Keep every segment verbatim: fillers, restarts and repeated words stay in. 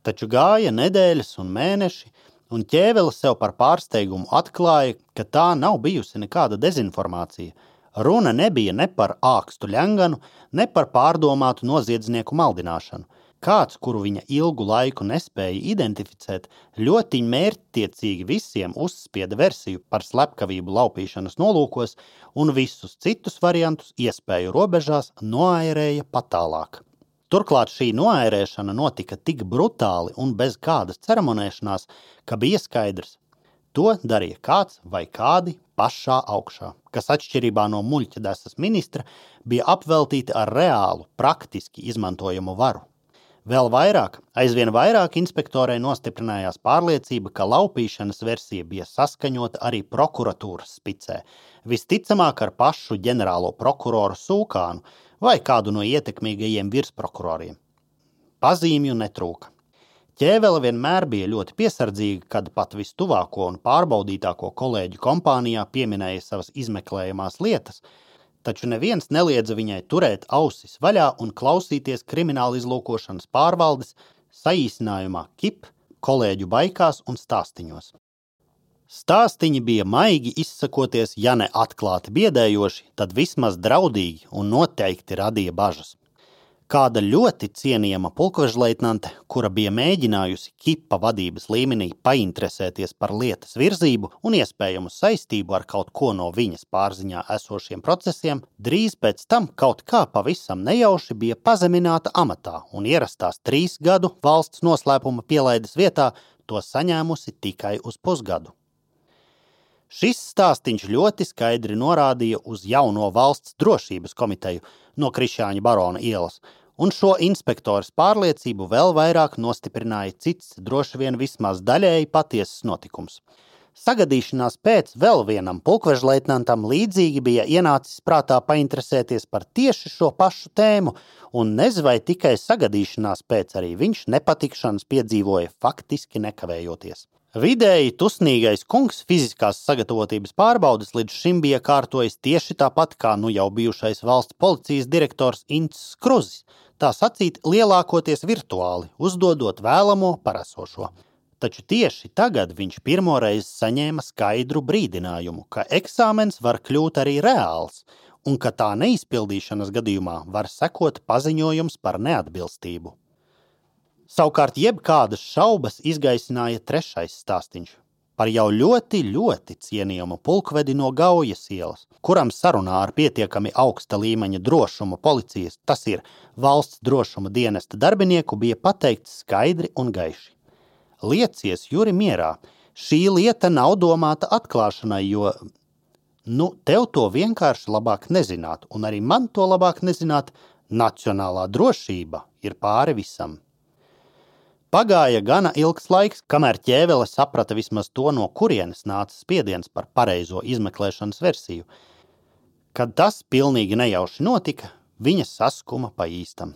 Taču gāja nedēļas un mēneši, un Ķēvele sev par pārsteigumu atklāja, ka tā nav bijusi nekāda dezinformācija. Runa nebija ne par ākstu ļenganu, ne par pārdomātu noziedznieku maldināšanu. Kāds, kuru viņa ilgu laiku nespēja identificēt, ļoti mērķtiecīgi visiem uzspieda versiju par slepkavību laupīšanas nolūkos un visus citus variantus iespēju robežās noairēja patālāk. Turklāt šī noairēšana notika tik brutāli un bez kādas ceremonēšanās, ka bija skaidrs. To darīja kāds vai kādi pašā augšā, kas atšķirībā no muļķadesas ministra bija apveltīti ar reālu, praktiski izmantojamu varu. Vēl vairāk, aizvien vairāk inspektorei nostiprinājās pārliecība, ka laupīšanas versija bija saskaņota arī prokuratūras spicē, visticamāk ar pašu ģenerālo prokuroru Sūkānu vai kādu no ietekmīgajiem virsprokuroriem. Pazīmju netrūka. Ķēvele vienmēr bija ļoti piesardzīga, kad pat vistuvāko un pārbaudītāko kolēģu kompānijā pieminēja savas izmeklējamās lietas, taču neviens neliedza viņai turēt ausis vaļā un klausīties krimināla izlūkošanas pārvaldes, saīsinājumā K I P, kolēģu baikās un stāstiņos. Stāstiņi bija maigi izsakoties, ja ne atklāti biedējoši, tad vismaz draudīgi un noteikti radīja bažas. Kāda ļoti cienījama pulkvežleitnante, kura bija mēģinājusi K I P vadības līmenī painteresēties par lietas virzību un iespējamu saistību ar kaut ko no viņas pārziņā esošiem procesiem, drīz pēc tam kaut kā pavisam nejauši bija pazemināta amatā un ierastās trīs gadu valsts noslēpuma pielaides vietā to saņēmusi tikai uz pusgadu. Šis stāstiņš ļoti skaidri norādīja uz jauno valsts drošības komiteju no Krišjāņa barona ielas, un šo inspektoras pārliecību vēl vairāk nostiprināja cits, droši vien vismaz daļēji patiesas notikums. Sagadīšanās pēc vēl vienam pulkvežleitnantam līdzīgi bija ienācis prātā painteresēties par tieši šo pašu tēmu, un nez vai tikai sagadīšanās pēc arī viņš nepatikšanas piedzīvoja faktiski nekavējoties. Vidēji tusnīgais kungs fiziskās sagatavotības pārbaudes līdz šim bija kārtojis tieši tāpat kā nu jau bijušais valsts policijas direktors Ints Skruzis, tā sacīt lielākoties virtuāli, uzdodot vēlamo par esošo. Taču tieši tagad viņš pirmoreiz saņēma skaidru brīdinājumu, ka eksāmens var kļūt arī reāls, un ka tā neizpildīšanas gadījumā var sekot paziņojums par neatbilstību. Savukārt jebkādas šaubas izgaisināja trešais stāstiņš par jau ļoti, ļoti cienījumu pulkvedi no Gaujas ielas, kuram sarunā ar pietiekami augsta līmeņa drošuma policijas, tas ir valsts drošuma dienesta darbinieku, bija pateikts skaidri un gaiši. Liecies, Juri, mierā, šī lieta nav domāta atklāšanai, jo, nu, tev to vienkārši labāk nezināt, un arī man to labāk nezināt, nacionālā drošība ir pāri visam. Pagāja gana ilgs laiks, kamēr Ķēvele saprata vismaz to, no kurienes nāca spiediens par pareizo izmeklēšanas versiju. Kad tas pilnīgi nejauši notika, viņa saskuma pa īstam.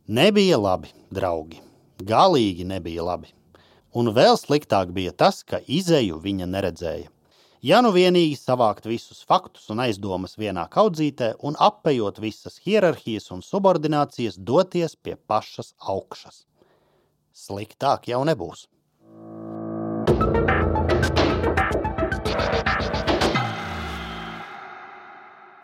Nebija labi, draugi. Galīgi nebija labi. Un vēl sliktāk bija tas, ka izeju viņa neredzēja. Ja nu vienīgi savākt visus faktus un aizdomas vienā kaudzītē un apejot visas hierarhijas un subordinācijas doties pie pašas augšas. Sliktāk jau nebūs.